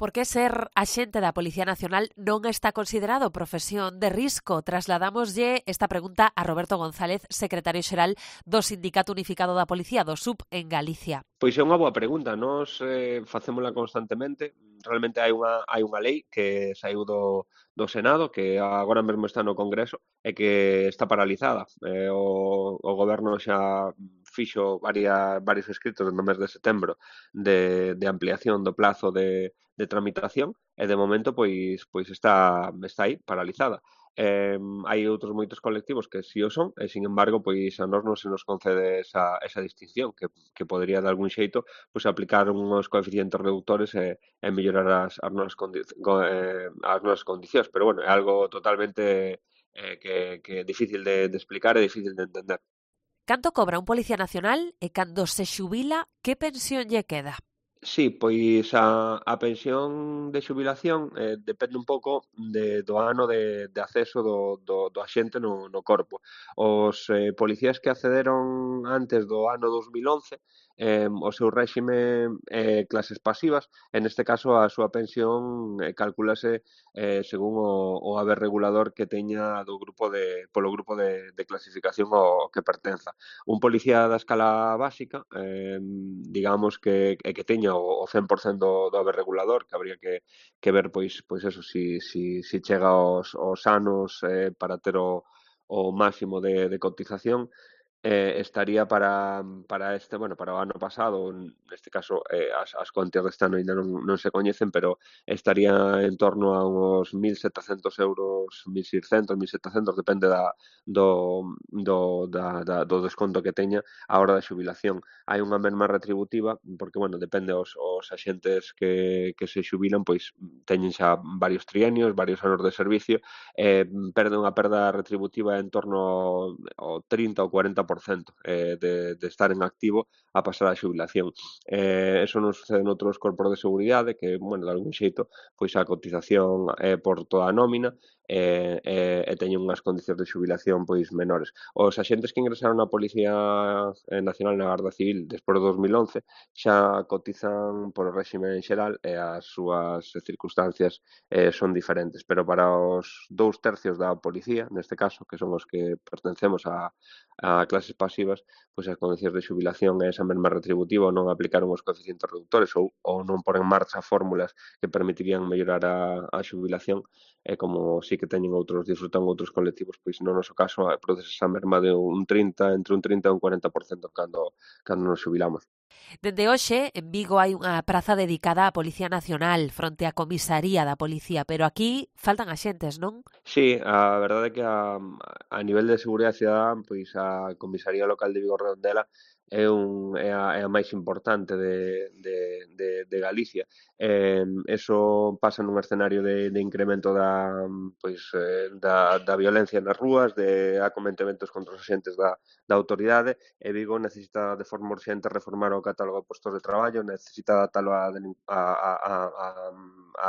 Por que ser axente da Policía Nacional non está considerado profesión de risco? Trasladámoslle esta pregunta a Roberto González, secretario xeral do Sindicato Unificado da Policía, do SUP, en Galicia. Pois é unha boa pregunta, nós facémola constantemente. Realmente hai unha lei que saiu do Senado, que agora mesmo está no Congreso, e que está paralizada. O Goberno xa fixo varios escritos no mes de setembro de ampliación do plazo de tramitación, e de momento pois está aí, paralizada. Hai outros moitos colectivos que si o son, e sin embargo, pois a nós non se nos concede esa distinción, que podría de algún xeito pois aplicar uns coeficientes reductores e mellorar as nosas condicións, pero bueno, é algo totalmente que é difícil de explicar e difícil de entender. Canto cobra un policía nacional e cando se xubila, que pensión lle queda? Sí, pois a pensión de xubilación depende un pouco do ano de acceso do axente no corpo. Os policías que accederon antes do ano 2011, o seu réxime clases pasivas, en este caso a súa pensión calculase según o haber regulador que teña polo grupo de clasificación ao que pertenza. Un policía da escala básica, digamos que teña o 100% do haber regulador, que habría que ver pois eso, si chega aos anos para ter o máximo de cotización. Estaría para o ano pasado, neste caso as cuantías deste ano ainda non se coñecen, pero estaría en torno a uns 1.700 euros, 1.600, 1.700, depende do desconto que teña a hora da xubilación. Hai unha merma retributiva, porque, depende os axentes que se xubilan, pois teñen xa varios trienios, varios anos de servicio, perde unha perda retributiva en torno ao 30 ou 40% de estar en activo a pasar a xubilación. Eso non sucede noutros corpos de seguridade, que, de algún xeito, pois a cotización é por toda a nómina e teñen unhas condicións de xubilación pois menores. Os axentes que ingresaron na Policía Nacional na Garda Civil despois do 2011 xa cotizan por o réxime en xeral e as súas circunstancias son diferentes, pero para os 2/3 da policía, neste caso, que son os que pertencemos a clases pasivas, pois as condicións de xubilación e esa mesma retributiva non aplicaron os coeficientes reductores ou non pon en marcha fórmulas que permitirían mellorar a xubilación, e como sí que teñen disfrutan outros colectivos, pois no noso caso produce esa merma de entre un 30 e un 40% cando nos xubilamos. Dende hoxe, en Vigo hai unha praza dedicada á Policía Nacional fronte á comisaría da Policía, pero aquí faltan axentes, non? Sí, a verdade é que a nivel de seguridade cidadá, pois a comisaría local de Vigo Redondela é a máis importante de Galicia. Eso pasa nun escenario de incremento da violencia nas rúas, de acometementos contra os axentes da autoridade, e Vigo necesita de forma urxente reformar o catálogo de postos de traballo, necesita adaptalo á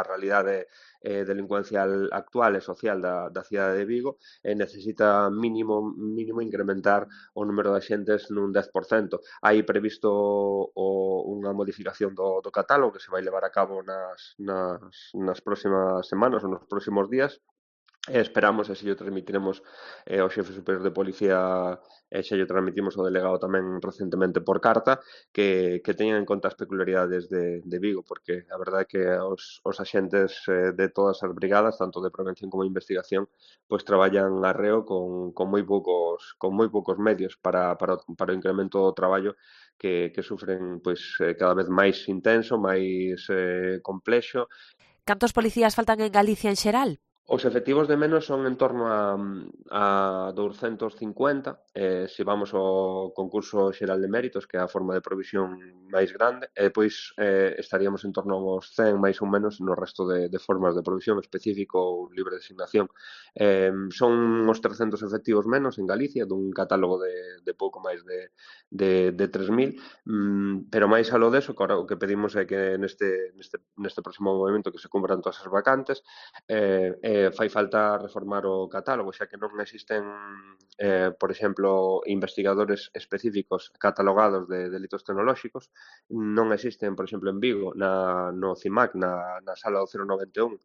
realidade delincuencial actual e social da cidade de Vigo, e necesita mínimo incrementar o número de axentes nun 10%. Hai previsto unha modificación do catálogo que se vai levar a cabo nas próximas semanas ou nos próximos días, e esperamos, e se llo transmitiremos ao xefe superior de policía, e xa llo transmitimos ao delegado tamén recentemente por carta, que teñan en conta as peculiaridades de Vigo, porque a verdade é que os axentes de todas as brigadas, tanto de prevención como de investigación, pois traballan arreo con moi poucos medios para o incremento do traballo que sufren pois cada vez máis intenso, máis complexo. Cantos policías faltan en Galicia en xeral? Os efectivos de menos son en torno a 250, se vamos ao concurso xeral de méritos, que é a forma de provisión máis grande, e depois estaríamos en torno aos 100, máis ou menos, no resto de formas de provisión específico ou libre designación. Son uns 300 efectivos menos en Galicia, dun catálogo de pouco máis de 3.000, pero máis aló deso, o que pedimos é que neste próximo movimento que se cumpran todas as vacantes, fai falta reformar o catálogo, xa que non existen, por exemplo, investigadores específicos catalogados de delitos tecnolóxicos, non existen, por exemplo, en Vigo, no CIMAC, na sala do 091,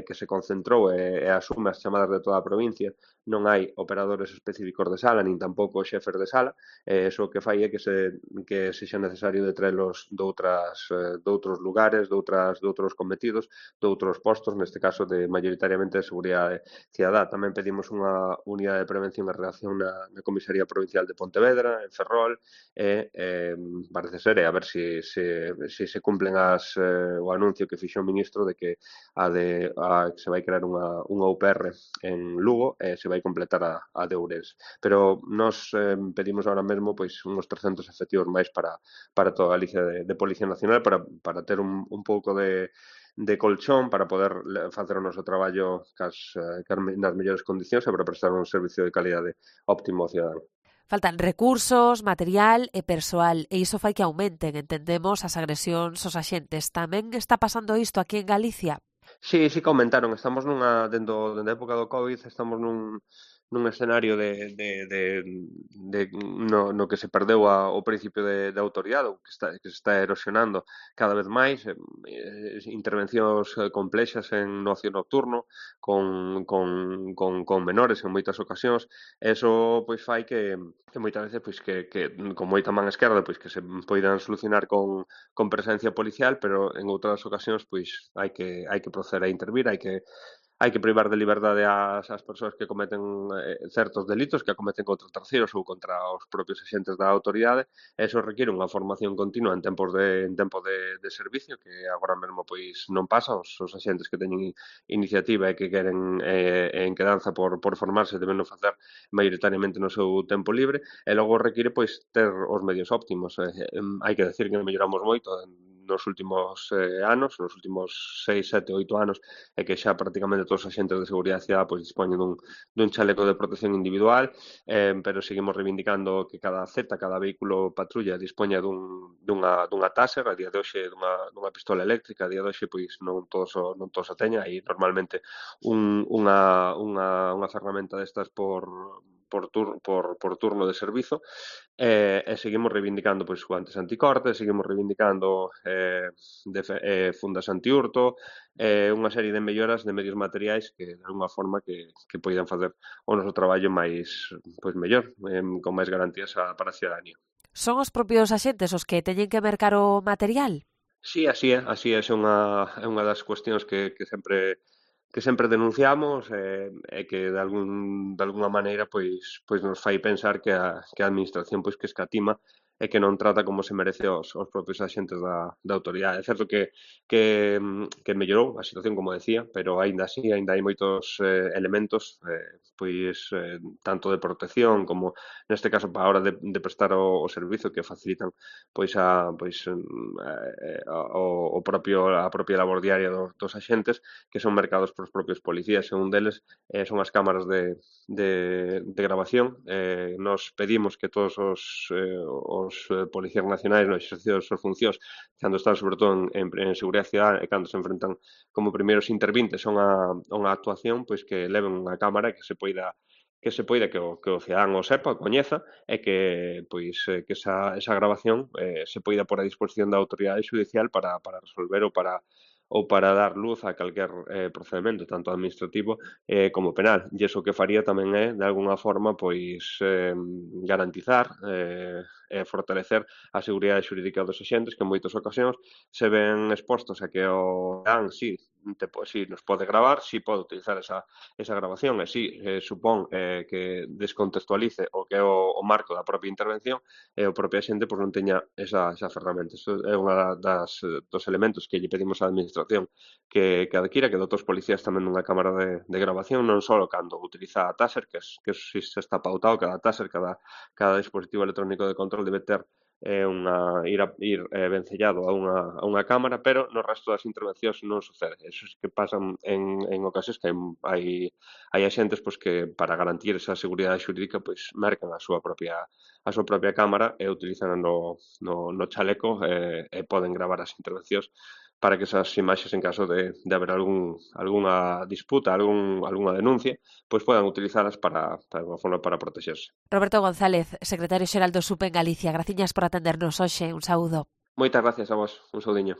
que se concentrou e asume as chamadas de toda a provincia, non hai operadores específicos de sala, nin tampouco xefes de sala, iso o que fai é que sexa necesario de traelos de outros lugares, de outros cometidos, de outros postos, neste caso de maioritariamente de seguridade cidadá. Tamén pedimos unha unidade de prevención e reacción na Comisaría Provincial de Pontevedra, en Ferrol, e parece ser, a ver se cumplen o anuncio que fixo o ministro de que que se vai crear unha UPR en Lugo e se vai completar a de Ourense. Pero nós pedimos ahora mesmo pois uns 300 efectivos máis para toda Galicia de Policía Nacional para ter un pouco de colchón para poder facer o noso traballo nas mellores condicións e para prestar un servicio de calidade óptimo ao cidadán. Faltan recursos, material e persoal, e iso fai que aumenten, entendemos, as agresións aos axentes. Tamén está pasando isto aquí en Galicia? Sí que aumentaron. Estamos dende a época do COVID, estamos nun escenario no que se perdeu o principio de autoridade, que se está erosionando cada vez máis, intervencións complexas en ocio nocturno, con menores en moitas ocasións. Eso pois fai que moitas veces pois que con moita man esquerda pois que se poidan solucionar con presencia policial, pero en outras ocasións pois hai que proceder a intervir, hai que privar de liberdade ás persoas que cometen certos delitos que acometen contra terceiros ou contra os propios axentes da autoridade. Eso requiere unha formación continua en tempo de servicio, que agora mesmo pois non pasa. Os axentes que teñen iniciativa e que queren en quedanza por formarse deben facer maioritariamente no seu tempo libre, e logo requiere pois ter os medios óptimos. Hai que decir que melloramos moito nos últimos anos, nos últimos 6, 7, 8 anos, e que xa prácticamente todos os axentes de seguridade cidadá pois dispoñen dun chaleco de protección individual, pero seguimos reivindicando que cada vehículo patrulla dispoña dunha taser, a día de hoxe dunha pistola eléctrica, a día de hoxe pois non todos a teñen, hai normalmente unha ferramenta destas por turno de servizo, e seguimos reivindicando pois guantes anticorte, seguimos reivindicando fundas antiurto, unha serie de melloras de medios materiais que de alguma forma que poidan facer o noso traballo máis mellor, con máis garantías para a cidadanía. Son os propios axentes os que teñen que mercar o material? Sí, así é unha das cuestións que sempre denunciamos, e que de algunha maneira pois nos fai pensar que a administración pois que escatima e que non trata como se merece os propios axentes da autoridade. É certo que mellorou a situación, como decía, pero aínda hai moitos elementos tanto de protección como neste caso para a hora de prestar o servizo que facilitan a propia labor diaria dos axentes, que son mercados polos propios policías, e un deles son as cámaras de grabación. Nos pedimos que todos os policías nacionais no exercicio das súas funcións, cando están sobre todo en seguridade cidadá e cando se enfrentan como primeiros intervintes a unha actuación, pois que leven unha cámara que o cidadán o sepa, o coñeza, e que esa grabación se poida pôr a disposición da autoridade xudicial para resolver ou para dar luz a calquer procedemento, tanto administrativo como penal. E iso que faría tamén é, de alguna forma, garantizar e fortalecer a seguridade xurídica dos axentes, que en moitas ocasións se ven expostos a que o dan, sí, nos pode gravar, sí pode utilizar esa grabación, e sí supón que descontextualice o que é o marco da propia intervención, e o propio axente non teña esa ferramenta. Iso é unha dos elementos que lle pedimos á administración que adquira, que dote os policías tamén dunha cámara de grabación, non só cando utiliza a taser, que si se está pautado, cada taser, cada dispositivo electrónico de control debe ter ir vencellado a unha cámara, pero no resto das intervencións non sucede. Eso é que pasan en ocasións que hai axentes que para garantir esa seguridade xurídica mercan a súa propia cámara e utilizan no chaleco e poden gravar as intervencións para que esas imaxes, en caso de haber algunha disputa, algunha denuncia, pois podan utilizalas para unha forma para protexerse. Roberto González, secretario xeral do SUP en Galicia, graciñas por atendernos hoxe. Un saúdo. Moitas gracias a vos. Un saudiño.